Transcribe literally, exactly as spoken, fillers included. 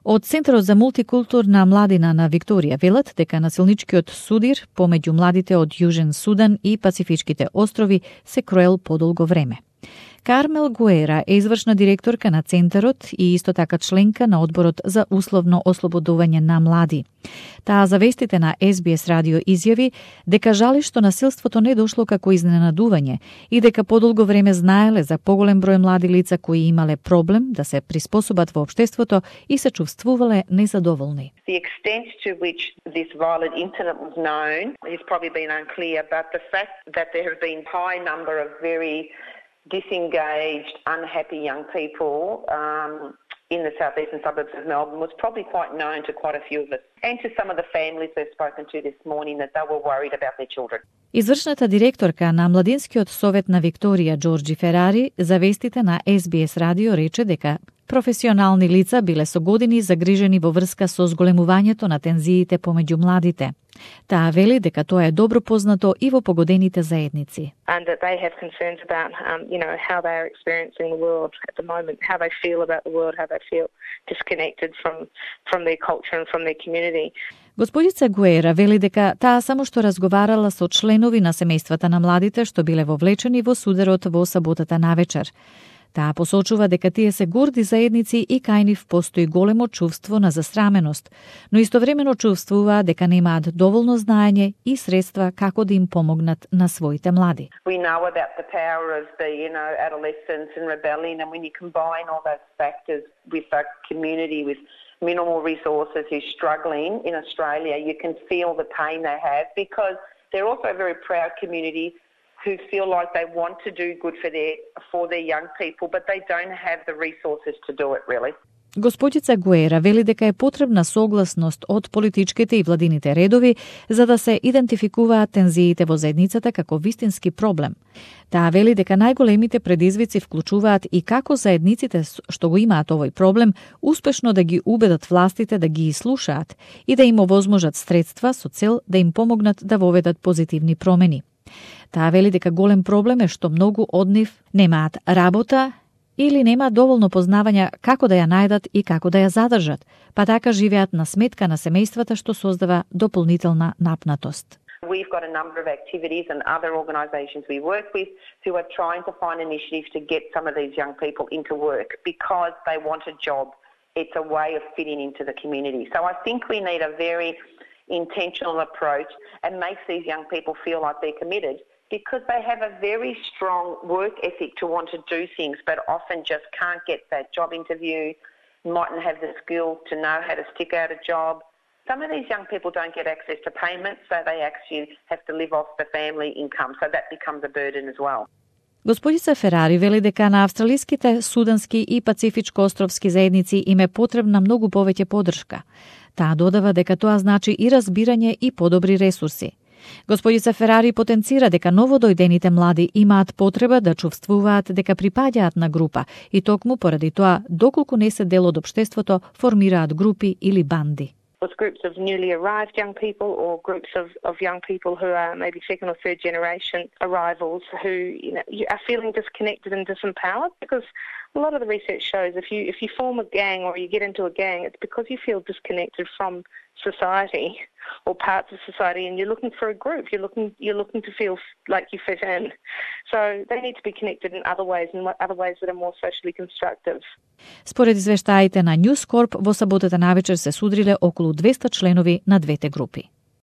Од Центарот за мултикултурна младина на Викторија велат дека насилничкиот судир помеѓу младите од Јужен Судан и Пацифичките острови се кроел подолго време. Кармел Гуера е извршна директорка на Центарот и исто така членка на Одборот за условно ослободување на млади. Таа за вестите на Ес Би Ес радио изјави дека жали што насилството не дошло како изненадување и дека подолго време знаеле за поголем број млади лица кои имале проблем да се приспособат во општеството и се чувствувале незадоволни. The extent to which this violent incident was known has probably been unclear, but the fact that there have been high number of very disengaged, unhappy young people um, in the southeastern suburbs of Melbourne was probably quite known to quite a few of us and to some of the families we've spoken to this morning that they were worried about their children. Извршната директорка на Младинскиот совет на Викторија Џорџи Ферари за вестите на Ес Би Ес радио рече дека професионални лица биле со години загрижени во врска со зголемувањето на тензиите помеѓу младите. Таа вели дека тоа е добро познато и во погодените заедници. And that they have concerns about, um, you know, how they are experiencing the world at the moment, how they feel about the world, how they feel disconnected from from their culture and from their community. Господица Гуера вели дека таа само што разговарала со членови на семејствата на младите што биле вовлечени во сударот во саботата навечер. Таа посочува дека тие се горди заедници и кај нив постои големо чувство на засраменост, но истовремено чувствуваат дека немаат доволно знаење и средства како да им помогнат на своите млади. We know about the power of the, you know, adolescence and rebellion, and when you combine all those factors with a community with minimal resources who's struggling in Australia, you can feel the pain they have because they're also a very proud community who feel like they want to do good for their for their young people, but they don't have the resources to do it really. Господица Гуера вели дека е потребна согласност од политичките и владините редови за да се идентификуваат тензиите во заедницата како вистински проблем. Таа вели дека најголемите предизвици вклучуваат и како заедниците што го имаат овој проблем успешно да ги убедат властите да ги слушаат и да им овозможат средства со цел да им помогнат да воведат позитивни промени. Таа вели дека голем проблем е што многу од нив немаат работа или немаат доволно познавања како да ја најдат и како да ја задржат, па така живеат на сметка на семејствата што создава дополнителна напнатост. We've got a number of activities and other organisations we work with who are trying to find initiatives to get some of these young people into work because they want a job. It's a way of fitting into the community. So I think we need a very intentional approach and makes these young people feel like they're committed because they have a very strong work ethic to want to do things but often just can't get that job interview, mightn't have the skills to know how to stick out a job. Some of these young people don't get access to payments, so they actually have to live off the family income, so that becomes a burden as well. Господица Ферари вели дека на австралиските, судански и пацифичко-островски заедници им е потребна многу повеќе поддршка. Таа додава дека тоа значи и разбирање и подобри ресурси. Господица Ферари потенцира дека новодојдените млади имаат потреба да чувствуваат дека припаѓаат на група и токму поради тоа, доколку не се дел од општеството, формираат групи или банди. With groups of newly arrived young people or groups of, of young people who are maybe second or third generation arrivals who, you know, are feeling disconnected and disempowered because a lot of the research shows if you if you form a gang or you get into a gang, it's because you feel disconnected from society or parts of society and you're looking for a group. You're looking you're looking to feel like you fit in. So they need to be connected in other ways and other ways that are more socially constructive. Според извештаите на News Corp, во саботата навечер се судриле околу двеста членови на двете групи.